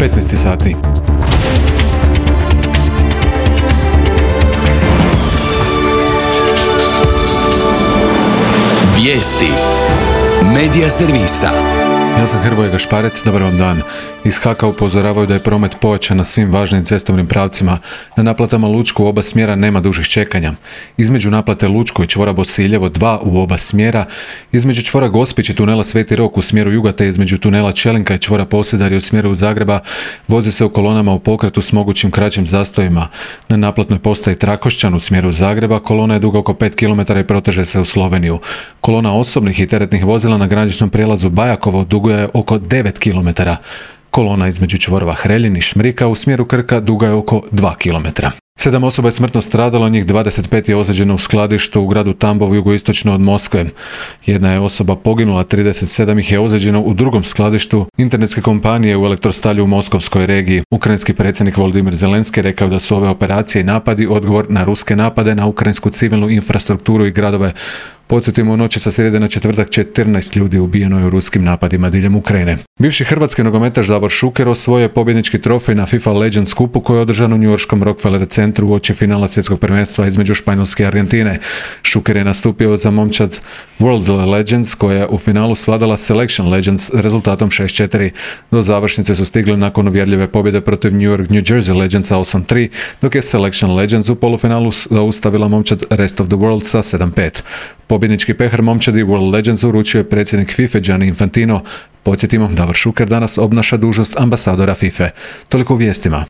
15 sati. Vijesti Medija servisa. Ja sam Hrvoje Gašparec, dobar vam dan. Iz HAK-a upozoravaju da je promet pojačan na svim važnim cestovnim pravcima. Na naplatama Lučko u oba smjera nema dužih čekanja. Između naplate Lučko i čvora Bosiljevo 2 u oba smjera, između čvora Gospić i tunela Sveti Rok u smjeru juga te između tunela Čelinka i čvora Posedarje u smjeru Zagreba vozi se u kolonama u pokretu s mogućim kraćim zastojima. Na naplatnoj postaji Trakošćan u smjeru Zagreba kolona je duga oko 5 km i proteže se u Sloveniju. Kolona osobnih i teretnih vozila na graničnom prijelazu Bajakovo duga je oko 9 km. Kolona između čvorova Hreljin i Šmrika u smjeru Krka duga je oko 2 km. 7 osoba je smrtno stradalo, njih 25 je ozlijeđeno u skladištu u gradu Tambov jugoistočno od Moskve. Jedna je osoba poginula, 37 ih je ozlijeđeno u drugom skladištu internetske kompanije u Elektrostalju u Moskovskoj regiji. Ukrajinski predsjednik Volodymyr Zelenski rekao da su ove operacije i napadi odgovor na ruske napade na ukrajinsku civilnu infrastrukturu i gradove. Podsjetimo, u noći sa srijede na četvrtak 14 ljudi ubijeno je u ruskim napadima diljem Ukrajine. Bivši hrvatski nogometaš Davor Šuker osvojio je pobjednički trofej na FIFA Legends kupu koji je održan u njujorškom Rockefeller centru uoči finala svjetskog prvenstva između Španjolske i Argentine. Šuker je nastupio za momčad World's Legends koja je u finalu svladala Selection Legends rezultatom 6-4. Do završnice su stigli nakon uvjerljive pobjede protiv New Jersey Legendsa 8-3, dok je Selection Legends u polufinalu zaustavila momčad Rest of the World sa 7-5. Pobjednički pehar momčadi World Legends uručio je predsjednik FIFA Gianni Infantino. Podsjetimo, Davor Šuker danas obnaša dužnost ambasadora FIFA. Toliko u vijestima.